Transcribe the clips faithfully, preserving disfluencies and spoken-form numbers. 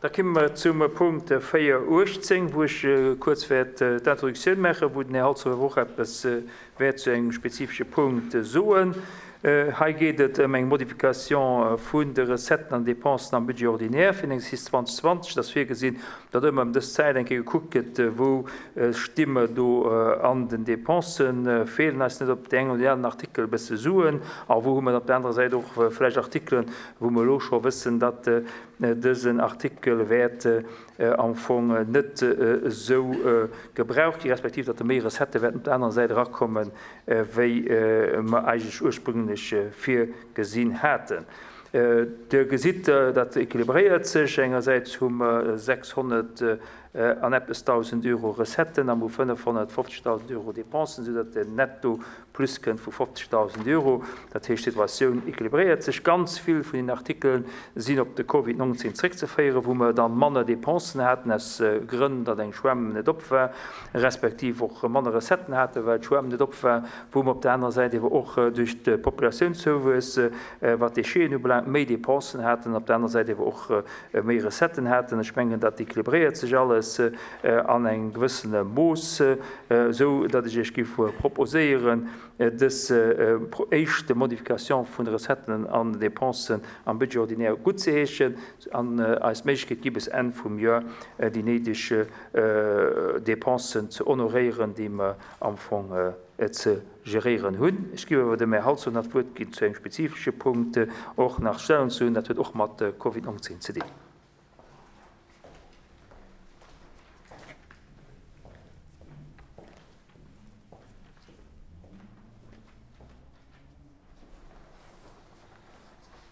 Da komme mer zum Punkt véier uechtzéng, wou ech kuerz wäert d'Introduktioun maachen, wou den Här Holzhauer och eppes wäert zu engem spezifesche Punkt soen. Hei geet et ëm eng Modification vun de Recetten an Dépensen am Budget ordinaire fir den Exercice zwanzeg zwanzeg. Et ass virgesinn, datt ëmmer ëm dës Zäit eng Kéier gekuckt gëtt, wou sti mer do an den Dépensen, feelen eis net op där enger oder där aner Artikel e bësse Suen a wou hu mer op der anerer Säit och vläicht Artikelen, wou mer elo scho wëssen, datt dësen Artikel wäert am Fong net esou gebraucht gi, respektiv datt méi Recettë wäerten op der anerer Säit erakommen, wéi mer eigentlech ursprünglech virgesinn haten. Dir gesitt, dat équilibréiert sech. Engersäits hu mer sechshonnert an eppes dausend Euro Recetten a mer hu fënnefhonnertfofzegdausend Euro Dépensen, soudatt den Netto plus kënnt vu fofzegdausend Euro. Dat heescht, d'Situatioun équilibréiert sech. Ganz vill vun den Artikelen sinn op de Covid neunzehn zréckzeféieren, wou mer dann manner Dépensen haten, aus Grënn, datt eng Schwämm net op war, respektiv och manner Recetten haten, well d'Schwämm net op war, wou mer op der anerer Säit ewer och duerch de Populationszouwuess, wat Décheten ubelaangt, méi Dépensen haten, op der anerer Säit ewer och méi Recetten haten. Ech mengen, dat équilibréiert sech alles an engem gewëssene Mooss, esou datt ech Iech géif proposéieren, dës éischte Modification vun de Recetten an Dépensen am Budget ordinaire gutt ze heeschen an eis d'Méiglechkeet gi bis Enn vum Joer déi néideg Dépensen ze honoréieren, déi mer am Fong ze geréieren hunn. Ech ginn awer dem Här Halsdorf nach d'Wuert ginn zu engem spezifesche Punkt och nach Stellung ze hunn. Dat huet och mat Covid neunzehn ze dinn.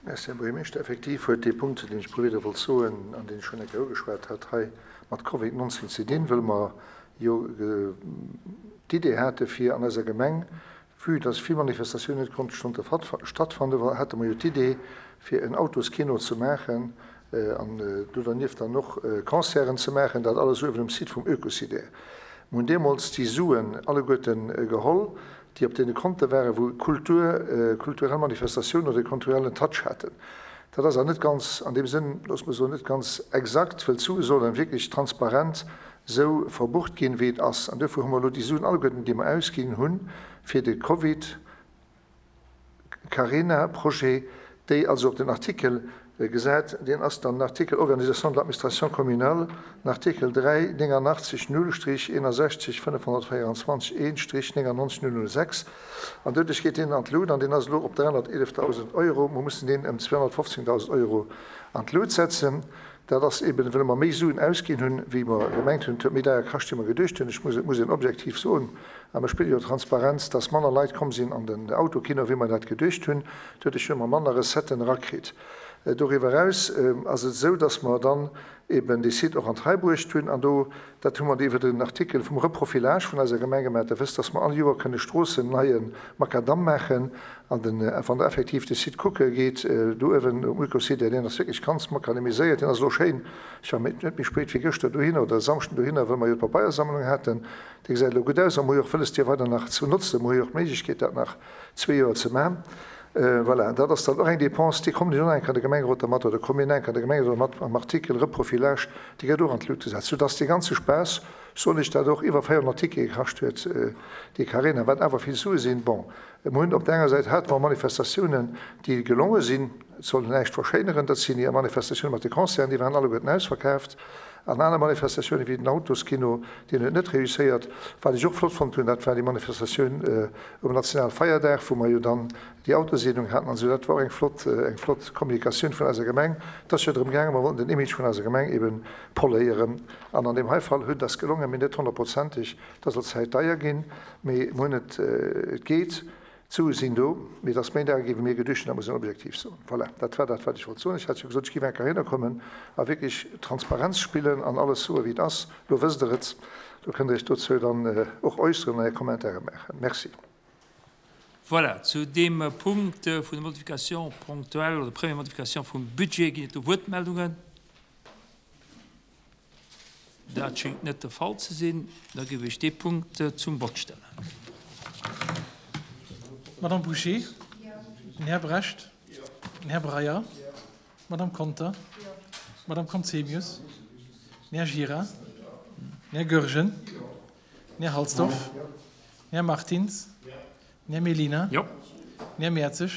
Merci, Här Buergermeeschter. Effektiv huet dee Punkt, deen ech probiert wollt soen, an deen ech schonn eng Kéier ugeschwat hat, hei mat Covid neunzehn ze dinn, wëll mer jo d'Idee hate fir an eiser Gemeng, vue dass vill Manifestatiounen net konnte stattfannen, hate mer jo d'Idee fir en Autoskino ze maachen an do dernieft dann och Concerten ze maachen, dat alles uewen um Site vum Ökocidaire. Mir hunn deemools déi Suen alleguerten geholl, déi op deene Konte waren, wou Kultur, kulturell Manifestatiounen oder e kulturellen Touch haten. Dat ass awer net ganz, an deem Sënn, loosse mer soen, net ganz exakt, well d'Sue sollen wierklech transparent esou verbucht ginn, wéi et ass. An duerfir hu mer elo déi Suen alleguerten, déi mer ausginn hunn fir de Covid-Carena-Projet, déi also op den Artikel gesat, deen ass dann den Artikel Organisation de l'administration communale, den Artikel dräi néngannachtzeg null Strich eenundsechzeg fënnefhonnertvéierundzwanzeg een Strich néngannonzeg null null sechs. An doduerch geet deen an d'Lut, an deen ass elo op dräihonnerteelefdausend Euro. Mer mussen deen ëm zweehonnertfofzéngdausend Euro an d'Lut setzen. Dat ass eben, wëll mer méi Suen ausginn hunn, wéi mer gemengt hunn. Et huet méi deier kascht, wéi mer geduecht hunn. Ech muss, et muss een objektiv soen, a mer spille jo Transparenz, dass manner Leit komm sinn an den Autokino, wéi mer dat geduecht hunn. Doduerch hu mer manner Recetten erakritt. Doriwwer eraus ass et esou, dass mer dann eben dee Site och an d'Rei bruecht hunn. An do, dat hu mer iwwer den Artikel vum Reprofilage vun eiser Gemeng gemaach. Der wësst, dass mer all Joer kënne Stroossen neie Makadamm maachen. An den, wann der effektiv de Site kucke geet, do uewen um Ökosite, deen ass wierklech ganz makadamiséiert, deen ass elo schéin. Ech war net méi spéit wéi gëschter dohinner oder e Samschden dohinner, wëll mer jo d'Pabeiersammlung haten. Dee gesäit elo gutt aus a mer hu jo och wëlles, dee weider nach ze notzen. Mer hu jo och d'Méiglechkeet, dat nach zwee Joer ze maachen. Voilà, dat ass dann och eng Dépense, déi kommt jo och eng Kéier de Gemengerot dermat, oder komm mir eng Kéier de Gemengerot dermat am Artikel Reprofilage, déi gëtt och an d'Lut gesat, soudass dee ganze Spaass, soen ech dat, och iwwer véierhonnert Tickete kascht huet, déi Carena, wat awer vill Sue sinn. Bon, mir hunn op der enger Säit hate mer Manifestatiounen, déi gelonge sinn, et soll näischt verschéineren, dat sinn déi Manifestatiounen mat de Concerten, déi waren alleguerten ausverkaaft, an aner Manifestatiounen wéi den Autoskino, deen huet net réusséiert. Wat ech och flott fonnt hunn, dat war déi Manifestatioun um Nationalfeierdag, wou mer jo dann déi Autoseedung haten an esou. Dat war och eng flott, eng flott Kommunikatioun vun eiser Gemeng. Et ass jo drëm gaangen, mer wollten den Image vun eiser Gemeng eben poléieren. An an deem hei Fall huet ass gelongen, mee net honnertprozenteg. Et ass allzäit deier ginn, mee mer hunn et, et geet. D'Sue sinn do, mee et ass méi deier gi wéi mir geduecht hunn, dat muss een objektiv soen. Voilà, dat war dat, wat ech wollt soen. Ech hat jo gesot, ech géif eng Kéier hinnerkommen a wierklech Transparenz spillen an alles soen, wéi et ass. Lo wësst Der et. Do kënnt Der Iech dozou dann och äusseren an Är Kommentare maachen. Merci. Voilà, zu deem Punkt vun der Modification ponctuelle oder première Modification vum Budget ginn et do Wuertmeldungen. Dat schéngt net de Fall ze sinn. Da géif ech dee Punkt zum Vott stellen. Madame Bouché, den Här Brecht, den Här Breyer, d'Madame Conter, Madame Conzemius, den Här Gira, den Här Goergen, den Här Halsdorf, den Här Martins, den Här Mellina, den Här Mertzig,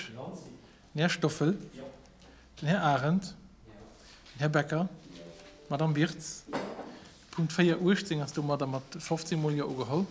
den Här Stoffel, den Här Arendt, den Här Becker, d'Madame Birtz. Punkt véier uechtzéng ass domadder mat fofzéng Mol Jo ugeholl.